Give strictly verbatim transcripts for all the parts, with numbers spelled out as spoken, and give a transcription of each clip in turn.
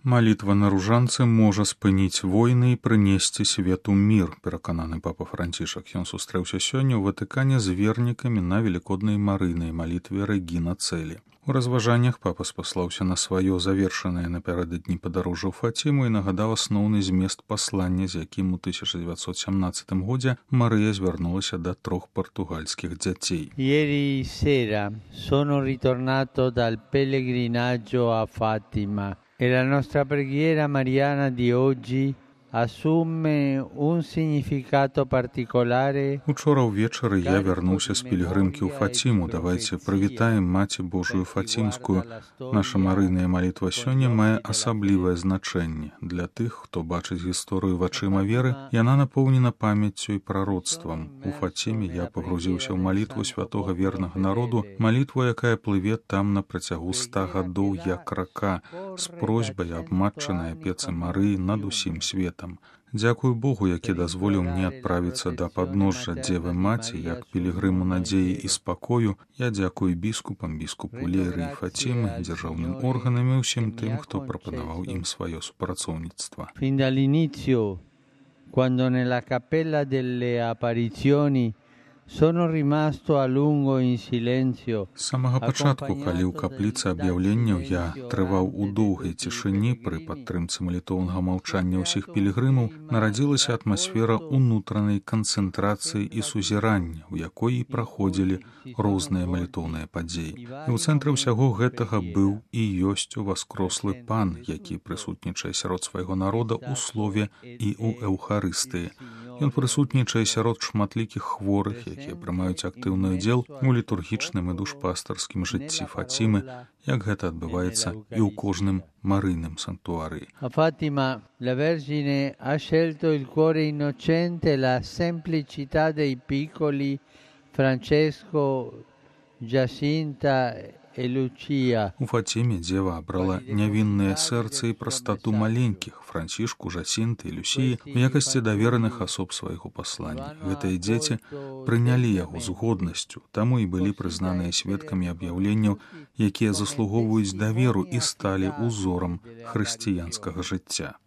Малітва на ружанцы можа спыніць войны і прынесці свету мір, перакананы папа Францішак. Ён сустрэўся сёння ў Ватыкане з вернікамі на велікоднай марыйнай малітве Рэгіна Цэлі. У разважаннях папа спаслаўся на сваё завершанае напярэдадні падарожжа ў Фаціму і нагадаў асноўны змест паслання, з якім у тысяча дзевяцьсот сямнаццатым годзе Марыя звярнулася да трох партугальскіх дзяцей. Ieri sera sono ritornato dal pellegrinaggio a Fatima. E la nostra preghiera mariana di oggi assume un significato particolare. Учора ўвечары я вярнуўся з пілігрымкі ў Фаціму. Давайце прывітаем Маці Божую Фацімскую. Наша марыйная малітва сёння мае асаблівае значэнне. Для тых, хто бачыць гісторыю вачыма веры, яна напоўнена памяццю і прароцтвам. У Фаціме я пагрузіўся ў малітву святога вернага народу, малітву, якая плыве там на працягу ста гадоў як рака, з просьбай аб матчынай апецы Марыі над усім светам. Дзякую Богу, які дазволіў мне адправіцца да падножжа Дзевы Маці, як пілігрыму надзеі і спакою. Я дзякую біскупам, біскупу Леры і Фацімы, дзяржаўным органам і ўсім тым, хто прапанаваў ім сваё супрацоўніцтва. Fin dall'inizio, quando nella cappella delle apparizioni sono rimasto a lungo in silenzio. З самага пачатку, калі ў капліцы аб'яўленняў я трываў у доўгай цішыні пры падтрымцы малітоўнага маўчання ўсіх пілігрымаў, нарадзілася атмасфера унутранай канцэнтрацыі і сузірання, у якой і праходзілі розныя малітоўныя падзеі. І ў цэнтры ўсяго гэтага быў і ёсць уваскрослы пан, які прысутнічае сярод свайго народа ў слове і ў эўхарыстыі. Ён прысутнічае сярод шматлікіх хворых, якія прымаюць актыўны ўдзел у літургічным і душпастарскім жыцці Фацімы, як гэта адбываецца і ў кожным марыйным санктуарыі. A Fatima la Vergine ha scelto il cuore innocente e la semplicità dei piccoli Francesco, Giacinta e Lucia. У Фаціме дзева абрала нявіннае сэрца і прастату маленькіх Францішку, Жасінты і Люсіі у якасці давераных асоб свайго паслання. Гэтыя дзеці прынялі яго з годнасцю, таму і былі прызнаныя сведкамі аб'яўленняў, якія заслугоўваюць даверу і сталі ўзорам хрысціянскага жыцця.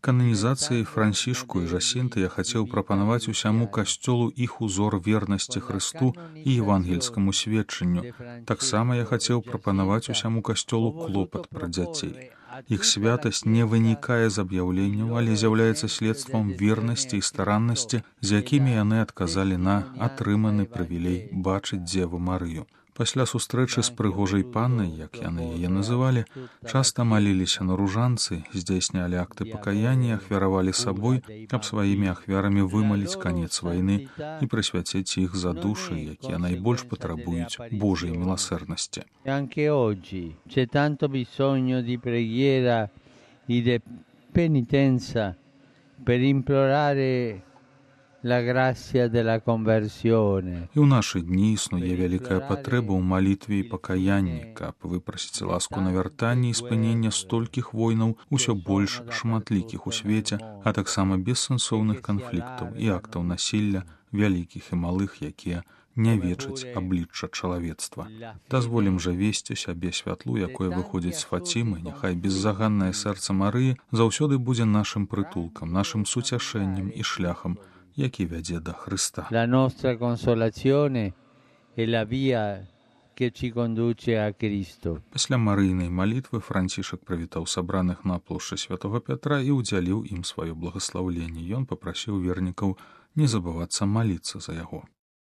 Кананізацыяй Францішку і Жасінты я хацеў прапанаваць усяму касцёлу іх узор вернасці Хрысту і евангельскаму сведчанню. Таксама я хацеў прапанаваць усяму касцёлу клопат пра дзяцей. Іх святасць не вынікае з аб'яўленняў, але з'яўляецца следствам вернасці і стараннасці, з якімі яны адказалі на атрыманы прывілей бачыць Дзеву Марыю. Пасля сустрэчы з прыгожай паннай, як яны яе называлі, часта маліліся на ружанцы, здзяйснялі акты пакаяння, ахвяравалі сабой, каб сваімі ахвярамі вымаліць канец вайны і прысвяціць іх за душы, якія найбольш патрабуюць Божай міласэрнасці. Anche oggi c'è tanto bisogno di preghiera e di penitenza per implorare la grazia della conversione. І ў нашы дні існуе вялікая патрэба ў малітве і пакаянні, каб выпрасіць ласку на вяртанне і спынення столькіх войнаў, усё больш шматлікіх у свеце, а таксама бессэнсоўных канфліктаў і актаў насілля, вялікіх і малых, якія не вечаць аблічча чалавецтва. Дазволім жа весці сябе святлу, якое выходзіць з Фацімы, няхай беззаганнае сэрца Марыі заўсёды будзе нашым прытулкам, нашым суцяшэннем і шляхам, які вядзе да Хрыста. La nostra consolazione è la via che ci conduce a Cristo. Пасля марыйнай малітвы Францішак прывітаў сабраных на плошчы святога Пятра і ўдзяліў ім сваё благаслаўленне. Ён папрасіў вернікаў не забывацца маліцца за яго.